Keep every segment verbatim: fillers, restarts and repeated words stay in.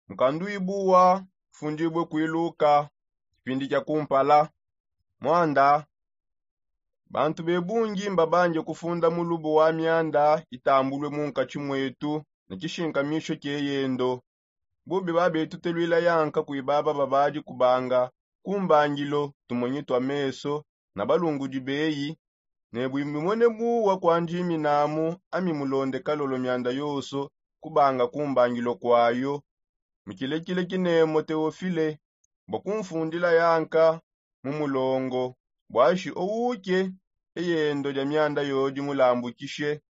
Mukandu ibuwa ufundibue kuiluka kipindi kia kumpala. Mwanda, bantu bebungi mbabanje kufunda mulubu wa mianda itambulue mu nkatshi muetu ne tshishinkamisho kieyendo. Bubi babetu teluila yanka kui baba babadi kubanga kumbangilo tumonyi tua meso na balungudi beyi, ne bui mimone buwa kuandiminamu ami mulonde kalolo mianda yonso kubanga kumbangilo kuayo. Mukilekile kinemo teofile bua kunfundila yanka mu mulongo buashi ouke eyendo dia mianda yodi mulambukishe.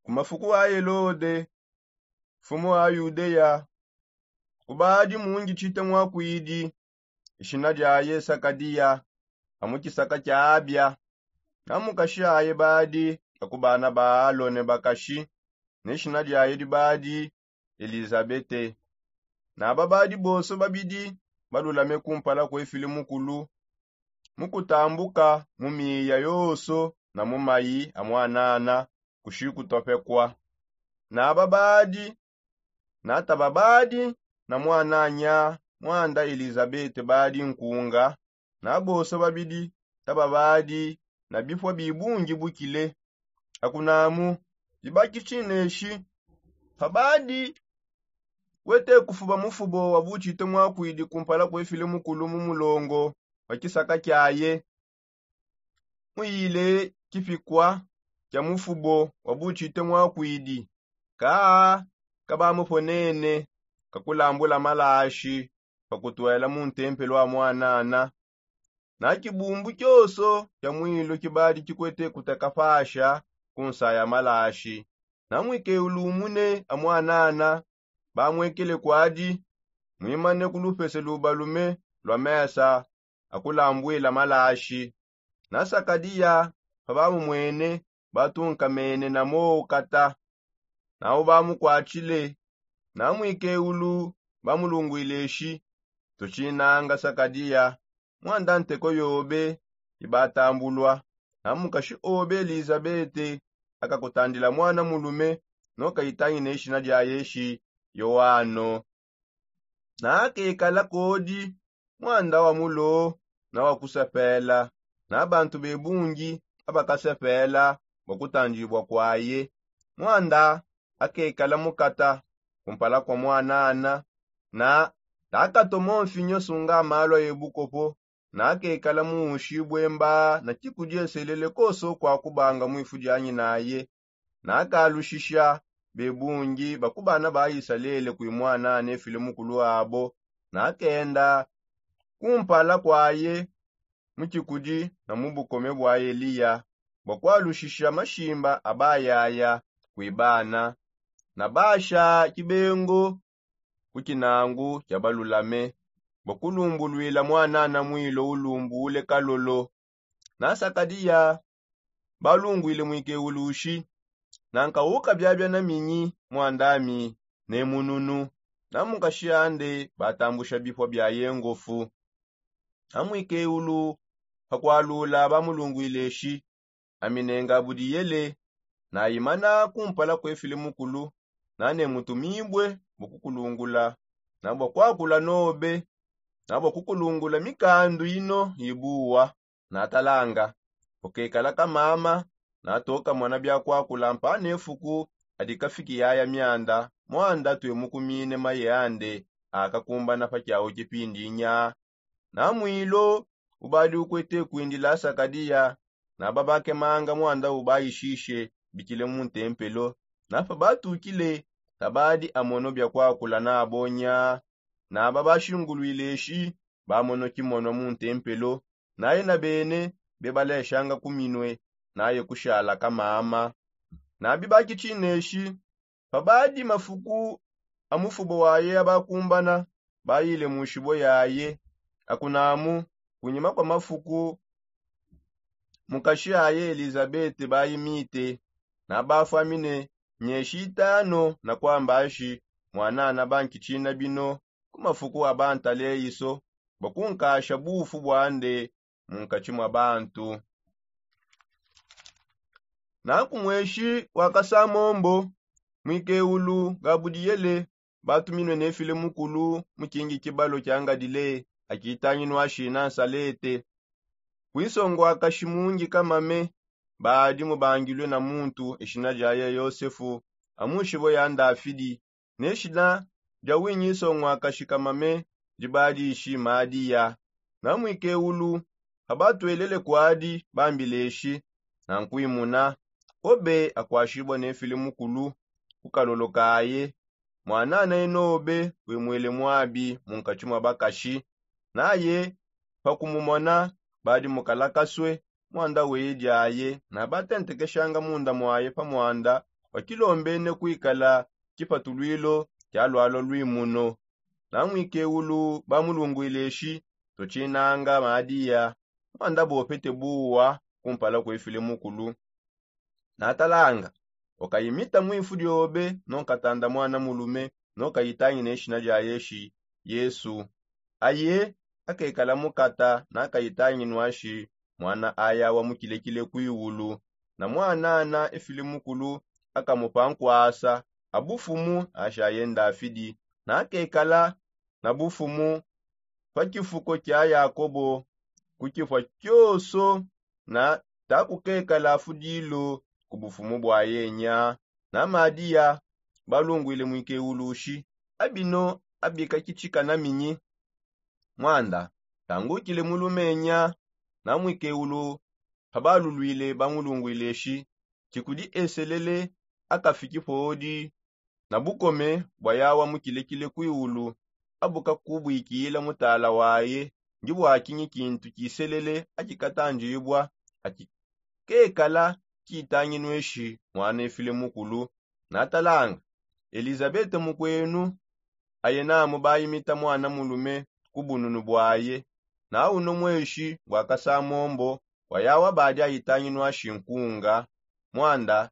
Ku mafuku a helode mfumu wa yudeya, kubadi mungi tshite muakuidi, ishina diaye sakadiya, amu tshisaka tshia abia. Na mukashi aye badi aku bana ba alone bakashi, ne shina diaye dibadi elizabete. Naba badi bonso babidi balulame kumpala kuefile mukulu mu kutambuka mu miya yonso na mu mayi a mwanana kushi kutopekua. Naba badi nataba badi na mwananya mwanda elizabete badi nkunga. Na bonso babidi taba badi na bipua bibungi bukile. Akunamu dibaki tshineshi, pabadi wete kufuba mufubo wa butshite muakuidi kumpala kuefile mukulu mu mulongo wa tshisaka kiaye, muyile kipikua kia mufubo wa butshite muakuidi. Kaa kabamuponene kakulambula malashi pa kutuela mu ntempelo a mwanana. Na tshibumbu tshionso tshia muilu tshibadi tshikwete kutakapasha ku nsaya malashi. Na muikeulu umune a mwanana bamuekele kuadi, muimane ku lupese lubalume lua mesa a kulambuila malashi. Na sakadiya pabamumwene, batunkamene na mowu kata. Nawu bamukuatshile. Na muikeulu bamulunguile eshi, tutshinanga sakadiya, mwanda nteko yobe ibatambulua. Na mukashi obe elizabete akakutandila mwana mulume, nokayitangina ishina diaye eshi yoano. Na kekala kodi mwanda wa mulo na wa kusepela. Na bantu bebungi abakasepela bua kutandibua kuaye. Mwanda akekala mukata kumpala kua mwanana, na takatomo mfinyo sunga malu aye bukopo. Na kekala muwushibue mba na tshikudi eselele konso kua kubanga muifu dianyinaye. Na kalushisha bebungi ba ku bana ba isalele kui mwanana efile mukulu abo. Na kenda kumpala kuaye mu tshikudi na mu bukome bua eliya, bua kualushisha mashimba a bayaya kui bana. Na basha tshibengo ku tshinangu tshia balulame, bua kulumbuluila mwanana muilo ulumbule kalolo. Na sakadiya balunguile muikeulu ushi, nanka ukabiabia na minyi mwandami ne mununu. Na mukashi ande batambusha bipua biaye ngofu. Na muikeulu pa kualula bamulunguile eshi, ami ne ngabudiyele nayimana kumpala kuefile mukulu, na ne mutumibue bua kukulungula, na bua kuakula nobe, na bua kukulungula mikandu ino ibuwa. Na talanga, ukekala kamama, na tokamona bia kuakula mpana efuku adi kafiki yaya mianda mwanda tuemukumine maye ande akakumbana pa kiawu tshipindi nya. Na muilo ubadi ukwete kuindila sakadiya, na babakemanga mwanda ubayishishe bikile mu ntempelo. Na pabatukile, tabadi amono bia kuakula nabo nya. Na babashinguluile eshi, bamono kimono mu ntempelo, naye na bene bebaleshanga ku minue, naye kushala kamama. Na bibaki tshineshi, pabadi mafuku a mufubo waye abakumbana, bayile mu nshibo yaye. Akunamu, kunyima kua mafuku, mukashi aye elizabete bayimite. Na bafwamine mieshi itano na kuamba ashi, mwanana bankitshina bino ku mafuku a bantaleyiso, bua kunkasha bufu buande munkatshi mua bantu. Nanku mueshi wa kasamombo, muikeulu gabudiyele, batuminue nefile mukulu mu kingi kibalo kia ngadile akitanginua shina nsalete. Kuisonguakashi mungi kamame badi mubangilue na muntu eshina diaye yosefu, amushibo ya ndafidi. Neshina dia winyi isonguakashi kamame dibadishi madiya. Na muikeulu, habatuelele kuadi bambileshi na nkuimuna. Obe akuashibua nefile mukulu kukalolo kaye. Mwanana enobe wemuele muabi munkatshi mua bakashi. Naye pakumumona badi mukalakasue muanda weye diaye. Na batentekeshanga munda muaye pa muanda wakilombene kuikala kipatuluilo kia lualua luimuno. Na muikeulu bamulunguileshi tutshinanga madiya. Muanda bopete buwa kumpala kuefile mukulu. Na talanga, wakayimita muifu diobe nonkatanda mwana mulume nokayitangina eshina diaye shi yesu. Aye akekala mukata nakayitanginuashi mwana ayawa mukilekile kuiwulu. Na mwanana efile mukulu akamupa nkuasa abufumu ashaye ndafidi. Nakekala na bufumu pa kifuko kia yakobo kukifua kioso. Na takukekala fudilo ku bufumu bua yenya. Na madiya balunguile muikeulushi abino abikakitshika na minyi. Muanda tangukile mulumenya. Na muikeulu pabaluluile bamulunguileshi tshikudi eselele akafiki podi na bukome bua yawa mukilekile kuiwulu. Abukakubuikila mutala waye ndibuakinyi kintu kiselele akikatandibua akikekala kitanginueshi mwana efile mukulu. Na talanga, elizabete mukuenu aye namu bayimita mwana mulume ku bununu buaye. Na uno mueshi bua kasamombo bua yawa badi ayitanginuashi nkunga. Muanda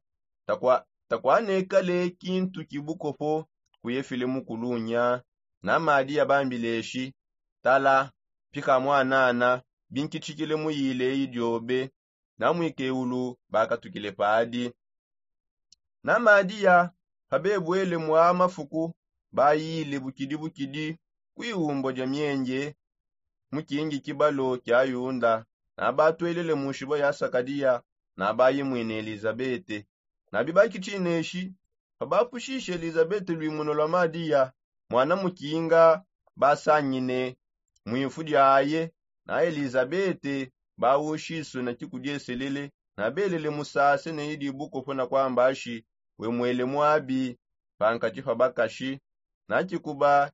takuanekale kintu kibukopo kuye file mukulunya. Na madiya bambileshi, tala, pika mwanana binkitshikile muyile eyi diobe. Na muikeulu bakatukile padi. Na madiya pabebuele mua mafuku bayile bukidi bukidi kuiwumbua dia mienje mu kingi kibalo kia yunda. Na batuelele mu nshibo ya sakadiya na bayimwine elizabete. Na bibakitshineshi pabapushishe elizabete luimuno lua madiya mwana mukinga basangine muifu diaye. Na elizabete bawushisue na kikudieselele na belele musase ne idi bukopo na kuamba ashi wemuele muabi pankatshi pa bakashi. Na kikuba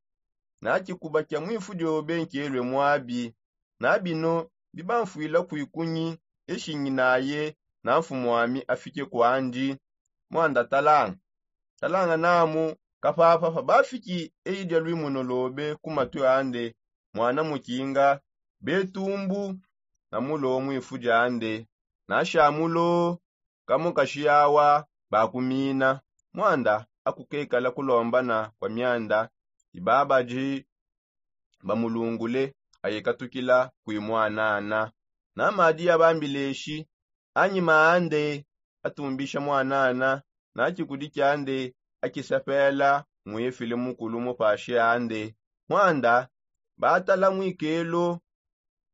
na kikuba kia muifu diobe nkielue muabi. Na bino bibamfuila kuikunyi eshinginaye na mfumuami afike kuandi. Muanda talanga talanga namu kapapa pabafiki eyi dia luimuno lobe ku matue ande mwana mukinga betumbu na mulo muifu diande. Na shamulo kamukashi yawa bakumina. Muanda akukekala kulombana kua mianda ibabadi bamulungule ayikatukila kuimuanana. Na madiya bambileshi anyima ande atumbisha muanana na kikudi kiande akisapela muefile mukulu mupashi ande. Muanda batala muikelo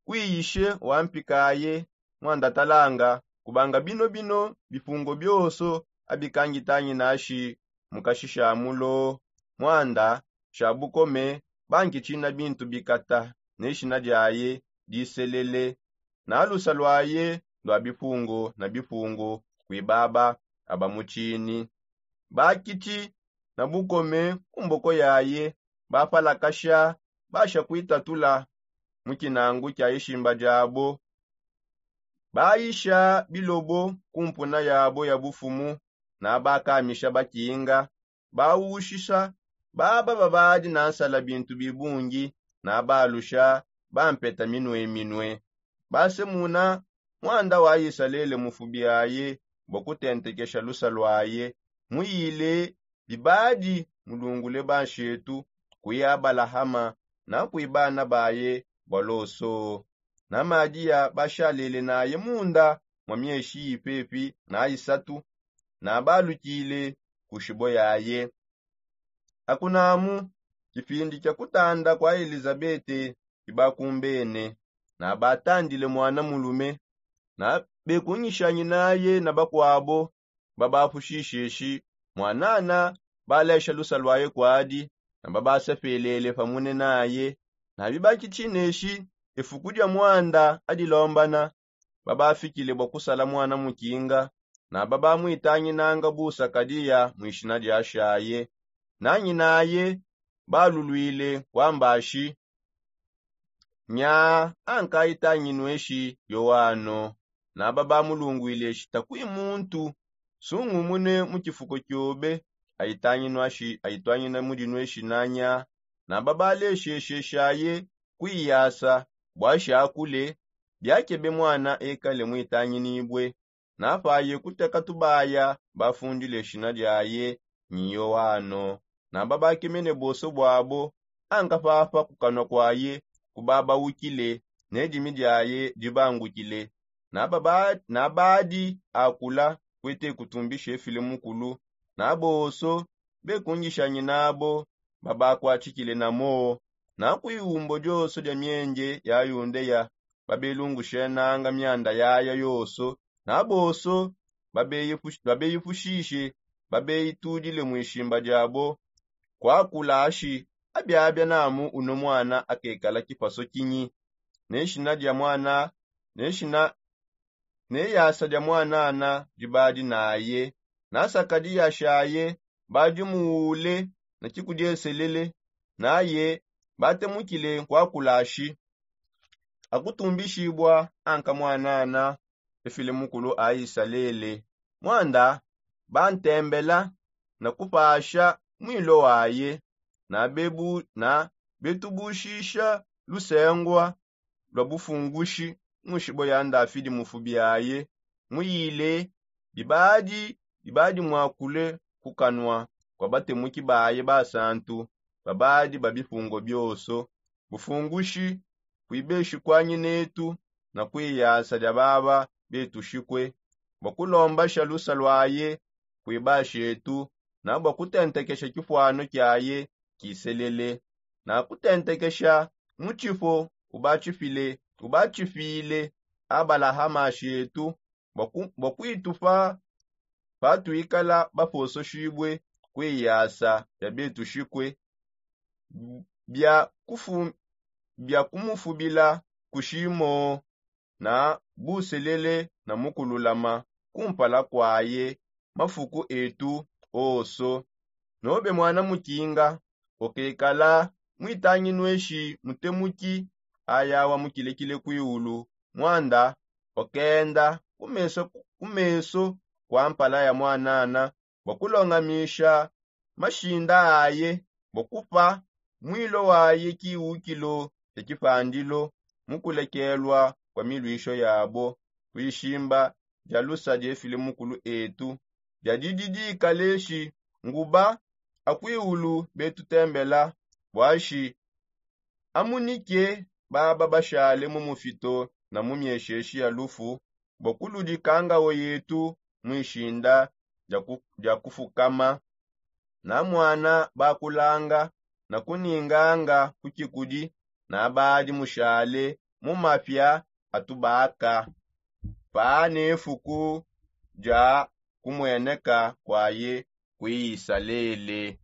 kuiyishe wa mpikaye. Muanda talanga kubanga bino bino bipungo bioso abikangitanginashi mukashisha mulo. Muanda sha bukome bankitshina bintu bikata ne shina diaye diselele. Na lusa luaye ndua bipungo na bipungo kuibaba abamutshini. Bakitshi na bukome ku mboko yaye bapalakasha basha kuitatula mu kinangu kia ishimba diabo. Bayisha bilobo ku mpuna yabo ya bufumu na bakamisha bakinga. Bawushisha baba babadi na nsala bintu bibungi na balusha bampeta minue minue. Basemuna muanda wa isalele mufubi aye bua kutentekesha lusa luaye muyile bibadi mulungule banshetu kui abalahama na kui bana baye bua loso. Na madiya bashalele naye munda mwa mieshi ipepi na isatu na balukile ku shibo yaye. Akunamu kipindi kia kutanda kua elizabete kibakumbene, na batandile mwana mulume, na bekungishangin'aye na bakuabo babapushisheshi. Mwanana balesha lusa luaye kuadi, na babasepelele pamune naye. Na bibaki tshineshi, efuku dia mwanda adilombana, babafikile bua kusala mwana mukinga, na babamuitanginanga bu sakadiya muishina dia shaye. Nanyinaye balulwile kuambashi, nya anka aitanginueshi yowano. Na babamulunguileshi takui muntu sungumune mu tshifuko kiobe, aitanginu ashi aitwangina mudinueshi nanya. Na babaleshesheshaye kuiyasa buashi akule, biakebe mwana ekale muitanginibue. Na paye kuteka tubaya bafundile shina diaye nyi yowano. Na babakemene bonso buabo, anka papa kukanua kuaye kubabawukile, ne dimi diaye dibangukile. Na badi akula kuete kutumbisha efile mukulu, na bonso bekungishanyi nabo babakuatshikile na moo. Na kuiwumbo dionso dia mienje ya yundeya babelungushenanga mianda yaya yonso, na bonso babeyipushishe, babeyitudile muishimba diabo. Kuakula ashi, abiabia namu uno mwana akekala kipaso kinyi? Ne shina dia mwana ne shina ne yasa dia mwanana dibadi naye. Na sakadiya shaye badi muwule na kikudieselele, naye batemukile kuakula ashi, akutumbishibua anka mwanana efile mukulu a isalele. Mwanda bantembela na kupasha mwilo waye, na bebu na betubushisha lusengua lua bufungushi mu nshibo ya ndafidi mufubi aye. Muyile bibadi bibadi muakule kukanua kua batemuki baye basantu babadi ba bipungo bionso. Bufungushi kuibeshi kuanyi netu na kuiyasa dia baba betushikue bua kulombasha lusa luaye kuibashetu, na bua kutentekesha kipuanu kiaye kiselele, na kutentekesha mutshipo ubatshipile ubatshipile abalahama shetu bua kuitupa patuikala bapososhibue kuiyasa bia betushikue bia kumufubila kushimo na buselele na mukululama kumpala kuaye mafuku etu onso. Nobe muana mukinga ukekala muitanginueshi mutemuki aya wa mukilekile kuiulu, muanda ukenda ku meso kua mpala ya muanana bua kulongamisha mashinda aye bua kupa mwilo waye kiwukilo kia kipandilo mu kulekelua kua miluisho yabo. Kuishimba dia lusa diefile mukulu etu dia didi dikaleshi nguba akuiulu betutembela buashi amunike baba bashale mu mufito na mu miesheshi ya lufu bua kuludika ngao yetu muishinda dia kufukama. Na muana bakulanga na kuninganga ku kikudi na badi mushale mu mapia atubaka pa ne fuku dia kumueneka kuaye ku isalele.